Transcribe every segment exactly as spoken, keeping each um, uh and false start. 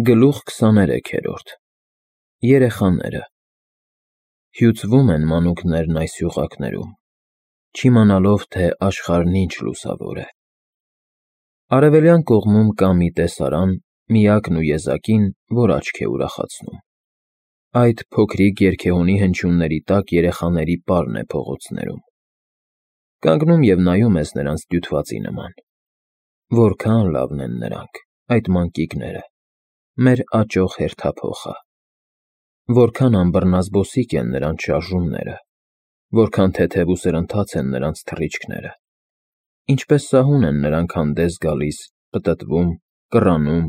Գլուխ քսաներեքերորդ Երեխաները Հյուծվում են մանուկներն այս յուղակներում, չիմանալով, թե աշխարհն ինչ լուսավոր է։ Արևելյան կողմում կա մի տեսարան, միակն ու եզակին, որ աչք է ուրախացնում։ Այդ փոքրիկ երգեհոնի հնչյունների տակ երեխաների պարն է փողոցներում։ Կանգնում և նայում ես նրանց դյութվածի նման։ Որքա՜ն լավն են նրանք, այդ մանկիկները, մեր աճող հերթափոխը։ Որքան անբռնազբոսիկ են նրանց շարժումները, որքան թեթև ու սրընթաց են նրանց թռիչքները, ինչպես սահուն են նրանք հանդես գալիս, պտտվում, կռանում,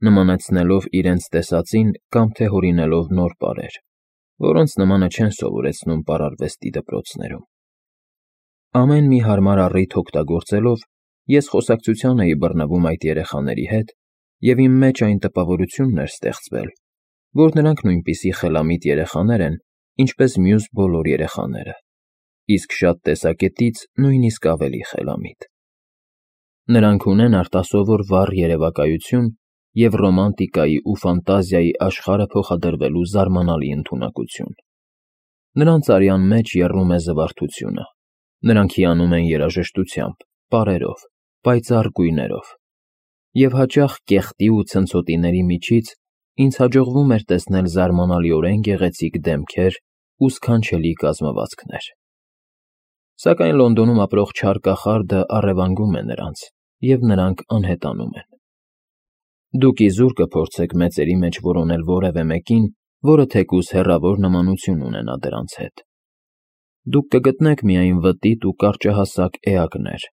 նմանեցնելով իրենց տեսածին կամ թե հորինելով նոր պարեր, որոնց նմանը չեն սովորեցնում պարարվեստի դպրոցներում։ Ամեն մի հարմար առիթ օգտագործելով, ես խոսակցության էի բռնվում այդ երեխաների հետ և իմ մեջ այն տպավորությունն էր ստեղծվել, որ նրանք նույնպիսի խելամիտ երեխաներ են, ինչպես մյուս բոլոր երեխաները, իսկ շատ տեսակետից նույնիսկ ավելի խելամիտ։ Նրանք ունեն արտասովոր վառ երևակայություն և ռոմանտիկայի ու ֆանտազիայի աշխարհը փոխադրվելու զարմանալի ընդունակություն։ Նրանց արյան մեջ եռում է զվարթությունը, նրանք հիանում են երաժշտությամբ, պարերով, պայծառ գույներով, և հաճախ կեղտի ու ցնցոտիների միջից ինձ հաջողվում էր տեսնել զարմանալիորեն գեղեցիկ դեմքեր ու սքանչելի կազմվածքներ։ Սակայն Լոնդոնում ապրող չար կախարդը առևանգում է նրանց, և նրանք անհետանում են։ Դուք իզուր կփորձեք մեծերի մեջ որոնել որևէ մեկին, որը թեկուզ հեռավոր նմանություն ունենա դրանց հետ։ Դուք կգտնեք միայն վտիտ ու կարճահասակ էակներ,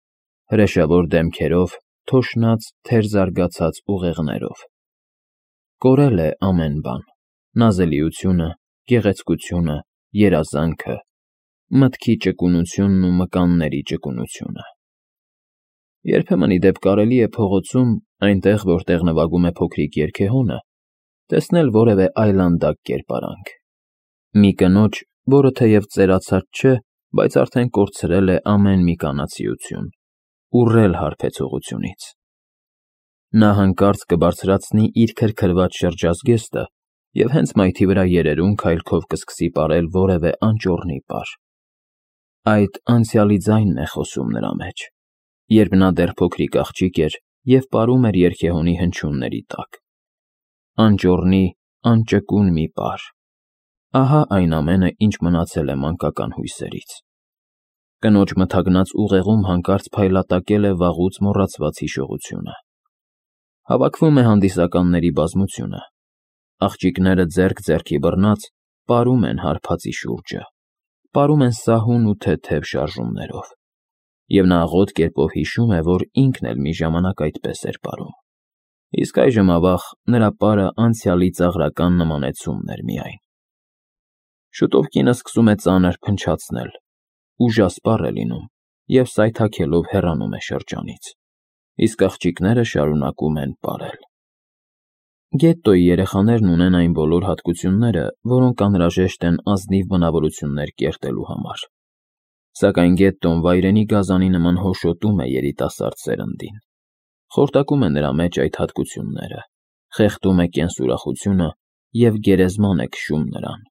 հրեշավոր դեմքերով, թոշնած, թերզարգացած ուղեղներով։ Կորել է ամեն բան՝ նազելիությունը, գեղեցկությունը, երազանքը, մտքի ճկունությունն ու մկանների ճկունությունը։ Երբեմն, ի դեպ, կարելի է փողոցում, այնտեղ, որտեղ նվագում է փոքրիկ երգեհոնը, տեսնել որևէ այլանդակ կերպարանք։ Մի կնոջ, որը թեև ծերացած չէ, բայց արդեն կորցրել է ամեն մի կանացիություն, ուռել հարբեցողությունից։ Նա հանկարծ կբարձրացնի իր քրքրված շրջազգեստը և հենց մայթի վրա երերուն քայլքով կսկսի պարել որևէ անճոռնի պար։ Այդ անցյալի ձայնն է խոսում նրա մեջ, երբ նա դեռ փոքրիկ աղջիկ էր և պարում էր երգեհոնի հնչյունների տակ։ Անճոռնի, անճկուն մի պար։ Ահա այն ամենը, ինչ մնացել է մանկական հույսերից։ Կնոջ մթագնած ուղեղում հանկարծ փայլատակել է վաղուց մոռացված հիշողությունը։ Հավաքվում է հանդիսականների բազմությունը։ Աղջիկները ձեռք ձեռքի բռնած պարում են հարբածի շուրջը, պարում են սահուն ու թեթև շարժումներով, և նա աղոտ կերպով հիշում է, որ ինքն էլ մի ժամանակ այդպես էր պարում։ Իսկ այժմ, ավաղ, նրա պարը անցյալի ծաղրական նմանեցումն էր միայն։ Շուտով կինը սկսում է ծանր փնչացնել, ուժասպառ է լինում և սայթաքելով հեռանում է շրջանից, իսկ աղջիկները շարունակում են պարել։ Գետտոյի երեխաներն ունեն այն բոլոր հատկությունները, որոնք անհրաժեշտ են ազնիվ բնավորություններ կերտելու համար։ Սակայն գետտոն վայրենի գազանի նման հոշոտում է երիտասարդ սերնդին, խորտակում է նրա մեջ այդ հատկությունները, խեղդում է կենսուրախությունը և գերեզման է քշում նրան,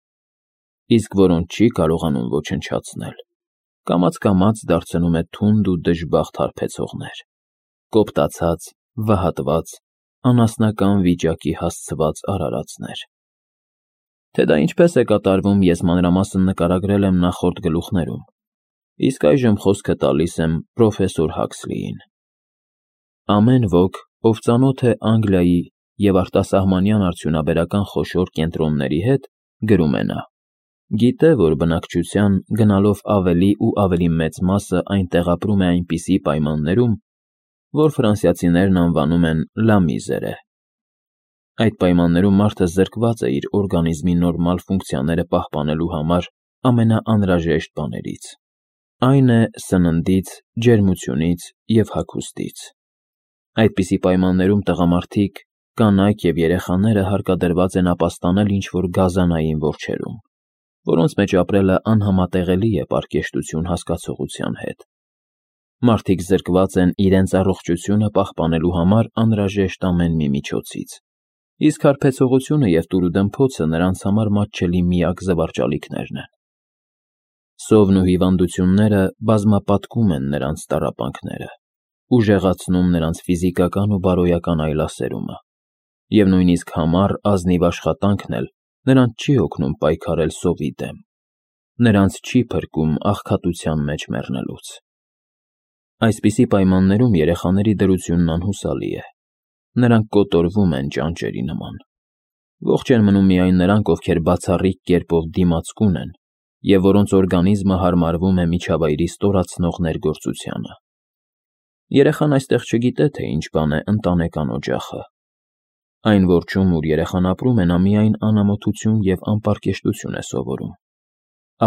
իսկ որոնց չի կարողանում ոչնչացնել, կամաց֊կամաց դարձնում է թունդ ու դժբախտ հարբեցողներ, կոպտացած, վհատված, անասնական վիճակի հասցված արարածներ։ Թե դա ինչպես է կատարվում, ես մանրամասն նկարագրել եմ նախորդ գլուխներում, իսկ այժմ խոսքը տալիս եմ պրոֆեսոր Հաքսլիին։ Ամեն ոք, ով ծանոթ է Անգլիայի և արտասահմանյան արդյունաբերական խոշոր կենտրոնների հետ, գրում է նա, գիտե, որ բնակչության գնալով ավելի ու ավելի մեծ մասը այնտեղ ապրում է այնպիսի պայմաններում, որ ֆրանսիացիներն անվանում են «լա միզերը»։ Այդ պայմաններում մարդը զրկված է իր օրգանիզմի նորմալ ֆունկցիաները պահպանելու համար ամենաանհրաժեշտ բաներից, այն է սննդից, ջերմությունից և հագուստից։ Այդպիսի պայմաններում տղամարդիկ, կանայք և երեխաները հարկադրված են ապաստանել ինչ-որ գազանային որջերում, որոնց մեջ ապրելը անհամատեղելի է պարկեշտություն հասկացողության հետ։ Մարդիկ զրկված են իրենց առողջությունը պահպանելու համար անհրաժեշտ ամեն մի միջոցից, իսկ հարբեցողությունը և տուրուդմփոցը նրանց համար մատչելի միակ զվարճալիքներն են։ Սովն ու հիվանդությունները բազմապատկում են նրանց տառապանքները, ուժեղացնում նրանց ֆիզիկական ու բարոյական այլասերումը, և նույնիսկ համառ ազնիվ աշխատանքն էլ նրանց չի օգնում պայքարել սովի դեմ, նրանց չի փրկում աղքատության մեջ մեռնելուց։ Այսպիսի պայմաններում երեխաների դրությունն անհուսալի է, նրանք կոտորվում են ճանճերի նման։ Ողջ են մնում միայն նրանք, ովքեր բացառիկ կերպով դիմացկուն են և որոնց օրգանիզմը հարմարվում է միջավայրի ստորացնող ներգործությանը։ Երեխան այստեղ չգիտե, թե ինչ բան է ընտանեկան օջախը։ Այն որջում, ուր երեխան ապրում է, նա միայն անամոթություն և անպարկեշտություն է սովորում։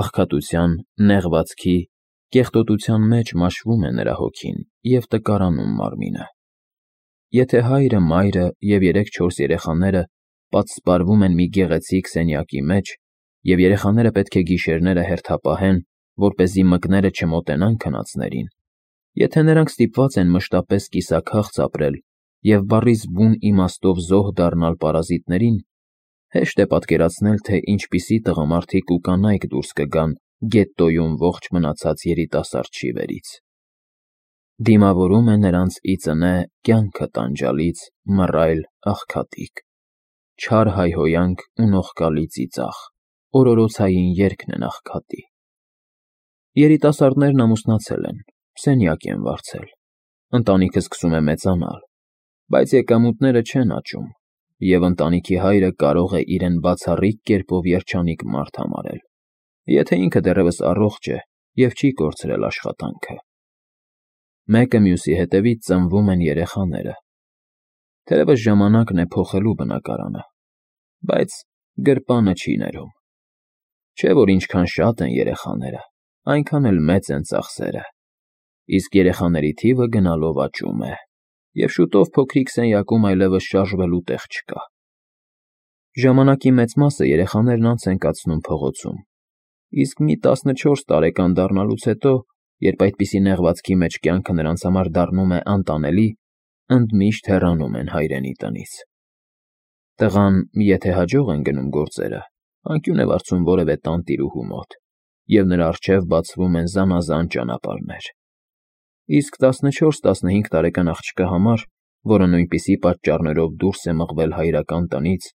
Աղքատության, նեղվածքի, կեղտոտության մեջ մաշվում է նրա հոգին և տկարանում մարմինը։ Եթե հայրը, մայրը և երեք-չորս երեխաները պատսպարվում են մի գեղեցիկ սենյակի մեջ, և երեխաները պետք է գիշերները հերթապահեն, որպեսզի մկները չմոտենան քնածներին, եթե նրանք ստիպված են մշտապես կիսաքաղց ապրել և բառիս բուն իմաստով զոհ դառնալ պարազիտներին, հեշտ է պատկերացնել, թե ինչպիսի տղամարդիկ ու կանայք դուրս կգան գետտոյում ողջ մնացած երիտասարդ շիվերից։ Դիմավորում է նրանց ի ծնե կյանքը տանջալից մռայլ աղքատիկ, չար հայհոյանք ու նողկալի ծիծաղ, օրորոցային երգն են աղքատի։ Երիտասարդներն ամուսնացել են, սենյակ են վարձել, ընտանիքը սկսում է մեծանալ, բայց եկամուտները չեն աճում, և ընտանիքի հայրը կարող է իրեն բացառիկ կերպով երջանիկ մարդ համարել, եթե ինքը դեռևս առողջ է և չի կորցրել աշխատանքը։ Մեկը մյուսի հետևից ծնվում են երեխաները։ Թերևս ժամանակն է փոխելու բնակարանը, բայց գրպանը չի ներում։ Չէ՞ որ ինչքան շատ են երեխաները, այնքան էլ մեծ են ծախսերը, իսկ երեխաների թիվը գնալով աճում է, և շուտով փոքրիկ սենյակում այլևս շարժվելու տեղ չկա։ Ժամանակի մեծ մասը երեխաներն անց են կացնում փողոցում, իսկ մի տասնչորս տարեկան դառնալուց հետո, երբ այդպիսի նեղվածքի մեջ կյանքը նրանց համար դառնում է անտանելի, ընդմիշտ հեռանում են հայրենի տնից։ Տղան, եթե հաջող են գնում գործերը, անկյուն է վարձում որևէ տանտիրուհու մոտ, և նրա առջև բացվում են զանազան ճանապարհներ։ Իսկ տասնչորս֊տասնհինգ տարեկան աղջկա համար, որը նույնպիսի պատճառներով դուրս է մղվել հայրական տնից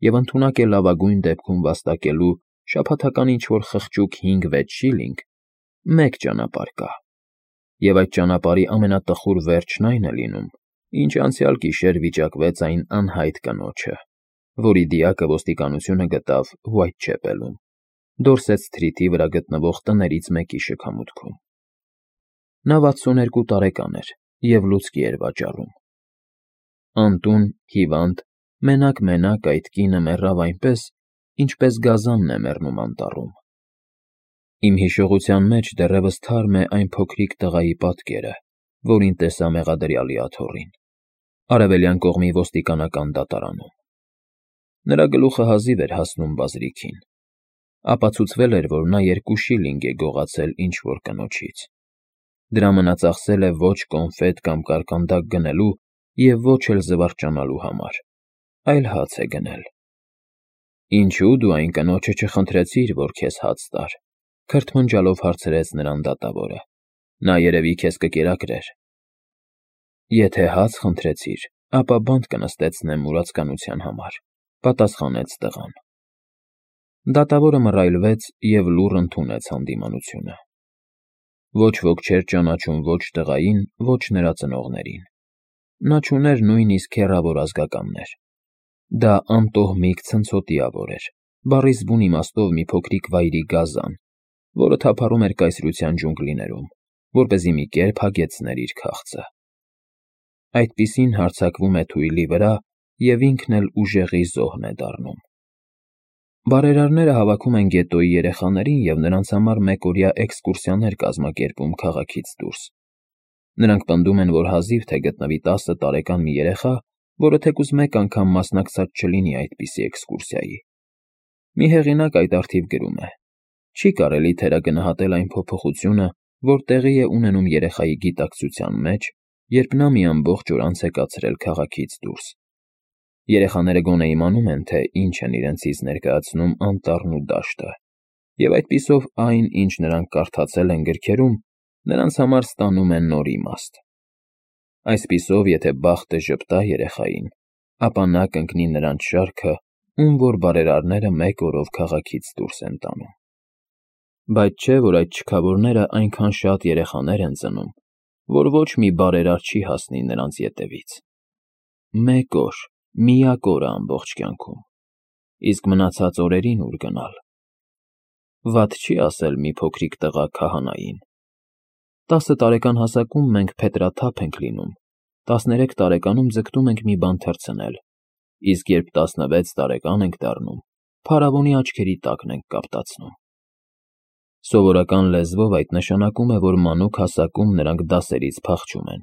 և ընդունակ է լավագույն դեպքում վաստակելու շաբաթական ինչ֊որ խղճուկ հինգ֊վեց շիլինգ, մեկ ճանապարհ կա, և այդ ճանապարհի ամենատխուր վերջն այն է լինում, ինչ անցյալ գիշեր վիճակվեց այն անհայտ կնոջը, որի դիակը ոստիկանությունը գտավ Ուայթչեպելում, Դորսեթ Սթրիթի վրա գտնվող տներից մեկի շքամուտքում։ Նա վաթսունութ երկու տարեկան էր և լուցկի էր վաճառում։ Անտուն, հիվանդ, մենակ֊մենակ այդ կինը մեռավ այնպես, ինչպես գազանն է մեռնում անտառում։ Իմ հիշողության մեջ դեռևս թարմ է այն փոքրիկ տղայի պատկերը, որին տեսա մեղադրյալի աթոռին, արևելյան կողմի ոստիկանական դատարանում։ Նրա գլուխը հազիվ էր հասնում բազրիքին։ Ապացուցվել էր, որ նա երկու շիլինգ է գողացել ինչ֊որ կնոջից։ Դրա մնացախսել է ոչ կոնֆետ կամ կարկանդակ գնելու և ոչ էլ զվարճանալու համար, այլ հաց է գնել։ Ինչո՞ւ դու այն կնոջը չխնդրեցիր, որ քեզ հաց տար, քրթմնջալով հարցրեց նրան դատավորը։ Նա երևի քեզ կկերակրեր։ Եթե հաց խնդրեցիր, ապա բանտ կնստեցնեմ մուրացկանության համար, պատասխանեց տղան։ Դատավորը մռայլվեց և լուռ ընդունեց հանդիմանությունը։ Ոչ ոք չէր ճանաչում ոչ տղային, ոչ նրա ծնողներին։ Նա չուներ նույնիսկ հեռավոր ազգականներ։ Դա անտոհմիկ ցնցոտիավոր էր, բառիս բուն իմաստով մի փոքրիկ վայրի գազան, որը թափառում էր կայսրության ջունգլիներում, որպեսզի մի կերպ հագեցներ իր քաղցը։ Այդպիսին հարձակվում է թույլի վրա և ինքն էլ ուժեղի զոհն է դառնում։ Բարերարները հավաքում են գետոյի երեխաներին և նրանց համար մեկօրյա էքսկուրսիաներ կազմակերպում քաղաքից դուրս։ Նրանք պնդում են, որ հազիվ թե գտնվի տասը տարեկան մի երեխա, որը թեկուզ մեկ անգամ մասնակցած չլինի այդպիսի էքսկուրսիայի։ Մի հեղինակ այդ առթիվ գրում է. «Չի կարելի թերագնահատել այն փոփոխությունը, որ տեղի է ունենում երեխայի գիտակցության մեջ, երբ նա մի ամբողջ օր անց է կացրել քաղաքից դուրս։ Երեխաները գոնե իմանում են, թե ինչ են իրենցից ներկայացնում անտառն ու դաշտը, և այդպիսով այն, ինչ նրանք կարդացել են գրքերում, նրանց համար ստանում է նոր իմաստ։ Այսպիսով, եթե բախտը ժպտա երեխային, ապա նա կընկնի նրանց շարքը, ում որ բարերարները մեկ օրով քաղաքից դուրս են տանում։ Բայց չէ, որ այդ չքավորները այնքան շատ երեխաներ են ծնում, որ ոչ մի բարերար չի հասնի նրանց ետևից։ Մեկ օր, միակ օրը ամբողջ կյանքում, իսկ մնացած օրերին ուր գնալ։ Վատ չի ասել մի փոքրիկ տղա քահանային. «Տասը տարեկան հասակում մենք փետրաթափ ենք լինում, տասներեք տարեկանում ձգտում ենք մի բան թռցնել, իսկ երբ տասնվեց տարեկան ենք դառնում, փարավոնի աչքերի տակն ենք կապտացնում»։ Սովորական լեզվով այդ նշանակում է, որ մանուկ հասակում նրանք դասերից փախչում են,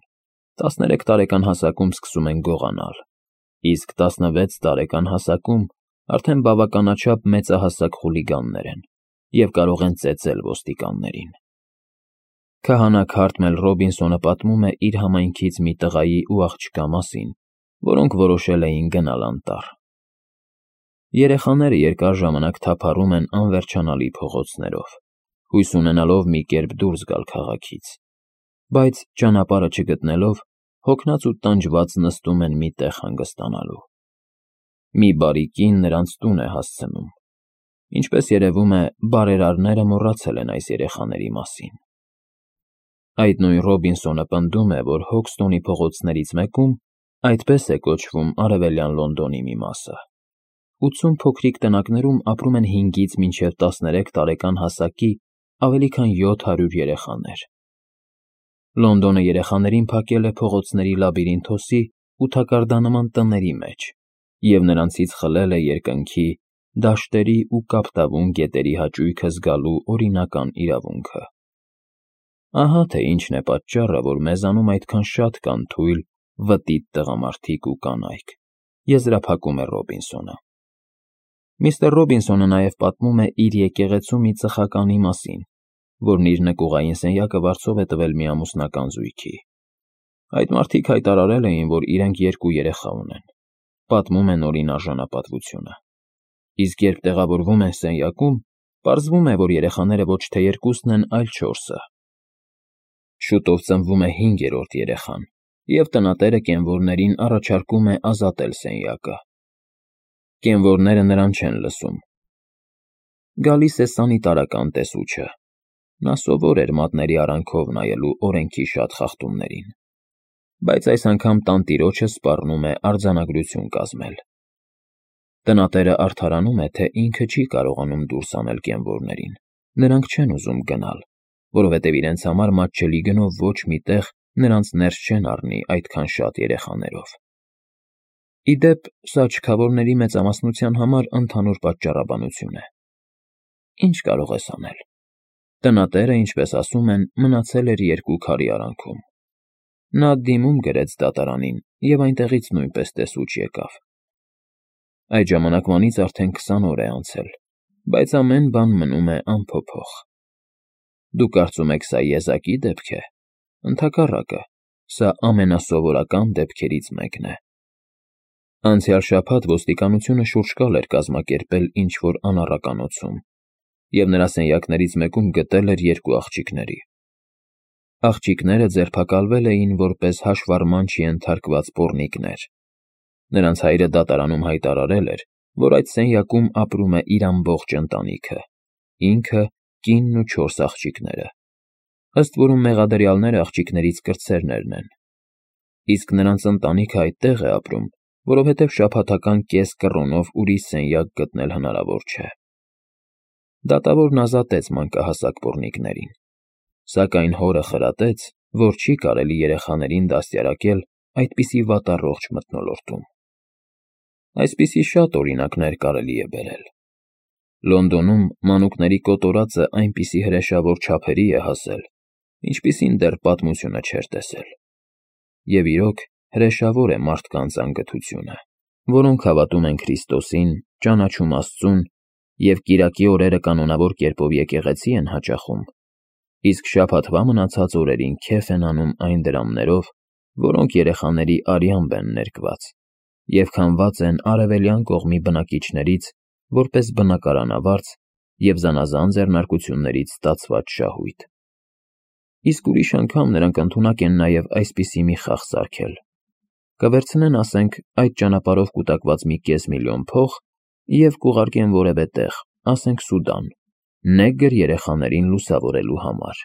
տասներեք տարեկան հասակում սկսում են գողանալ, իսկ տասնվեց տարեկան հասակում արդեն բավականաչափ մեծահասակ խուլիգաններ են և կարող են ծեծել ոստիկաններին։ Քահանա Քարթմել Ռոբինսոնը պատմում է իր համայնքից մի տղայի ու աղջկա մասին, որոնք որոշել էին գնալ անտառ։ Երեխաները երկար ժամանակ թափառում են անվերջանալի փողոցներով, հույս ունենալով մի կերպ դուրս գալ քաղաքից, բայց ճանապարհը չգտնելով, հոգնած ու տանջված նստում են մի տեղ հանգստանալու։ Մի բարի կին նրանց տուն է հասցնում։ Ինչպես երևում է, բարերարները մոռացել են այս երեխաների մասին։ Այդ նույն Ռոբինսոնը պնդում է, որ Հոքստոնի փողոցներից մեկում, այդպես է կոչվում արևելյան Լոնդոնի մի մասը, ութսուն փոքրիկ տնակներում ապրում են հինգից մինչև տասներեք տարեկան հասակի ավելի քան յոթ հարյուր երեխաներ։ Լոնդոնը երեխաներին փակել է փողոցների լաբիրինթոսի ու թակարդանման տների մեջ և նրանցից խլել է երկնքի, դաշտերի ու կապտավուն գետերի հաճույքը զգալու օրինական իրավունքը։ Ահա թե ինչն է պատճառը, որ մեզանում այդքան շատ կան թույլ, վտիտ տղամարդիկ ու կանայք, եզրափակում է Ռոբինսոնը։ Միստր Ռոբինսոնը նաև պատմում է իր եկեղեցու մի ծխականի մասին, որն իր նկուղային սենյակը վարձով է տվել մի ամուսնական զույգի։ Այդ մարդիկ հայտարարել էին, որ իրենք երկու երեխա ունեն, պատմում է Նորին արժանապատվությունը։ Իսկ երբ տեղավորվում են սենյակում, պարզվում է, որ երեխաները ոչ թե երկուսն են, այլ չորսը։ Շուտով ծնվում է հինգերորդ երեխան, և տնատերը կենվորներին առաջարկում է ազատել սենյակը։ Կենվորները նրան չեն լսում։ Գալիս է սանիտարական տեսուչը։ Նա սովոր էր մատների արանքով նայելու օրենքի շատ խախտումներին, բայց այս անգամ տանտիրոջը սպառնում է արձանագրություն կազմել։ Տնատերը արդարանում է, թե ինքը չի կարողանում դուրս անել կենվորներին, նրանք չեն ուզում գնալ, որովհետև իրենց համար մատչելի գնով ոչ մի տեղ նրանց ներս չեն առնի այդքան շատ երեխաներով։ Ի դեպ, սա չքավորների մեծամասնության համար ընդհանուր պատճառաբանություն է։ Ինչ կարող ես անել։ Տնատերը, ինչպես ասում են, մնացել էր երկու քարի արանքում։ Նա դիմում գրեց դատարանին և այնտեղից նույնպես տեսուչ եկավ։ Այդ ժամանակվանից արդեն քսան օր է անցել, բայց ամեն բան մնում է անփոփոխ։ Դուք կարծում եք սա եզակի դեպք է։ Ընդհակառակը, սա ամենասովորական դեպքերից մեկն է։ Անցյալ շաբաթ ոստիկանությունը շուրջկալ էր կազմակերպել ինչ-որ անառականոցում և նրա սենյակներից մեկում գտել էր երկու աղջիկների։ Աղջիկները ձերբակալվել էին որպես հաշվառման չենթարկված պոռնիկներ։ Նրանց հայրը դատարանում հայտարարել էր, որ այդ սենյակում ապրում է իր ամբողջ ընտանիքը, ինքը, կինն ու չորս աղջիկները, ըստ որում մեղադրյալները աղջիկներից կրտսերներն են։ Իսկ նրանց ընտանիքը այդտեղ է ապրում, որովհետև շաբաթական կես կռոնով ուրիշ սենյակ գտնել հնարավոր չէ։ Դատավորն ազատեց մանկահասակ պոռնիկներին, սակայն հորը խրատեց, որ չի կարելի երեխաներին դաստիարակել այդպիսի վատառողջ մթնոլորտում։ Այսպիսի շատ օրինակներ կարելի է բերել։ Լոնդոնում մանուկների կոտորածը այնպիսի հրեշավոր չափերի է հասել, ինչպիսին դեռ պատմությունը չէր տեսել։ Եվ իրոք, հրեշավոր է մարդկանց անգթությունը, որոնք հավատում են Քրիստոսին, ճանաչում Աստծուն և կիրակի օրերը կանոնավոր կերպով եկեղեցի են հաճախում, իսկ շաբաթվա մնացած օրերին քեֆ են անում այն դրամներով, որոնք երեխաների արյամբ են ներկված, և քամված են արևելյան կողմի բնակիչներից որպես բնակարանավարձ և զանազան ձեռնարկություններից ստացված շահույթ։ Իսկ ուրիշ անգամ նրանք ընդունակ են նաև այսպիսի մի խաղ սարքել. կվերցնեն, ասենք, այդ ճանապարհով կուտակված մի կես միլիոն փող և կուղարկեն որևէ տեղ, ասենք Սուդան, նեգր երեխաներին լուսավորելու համար։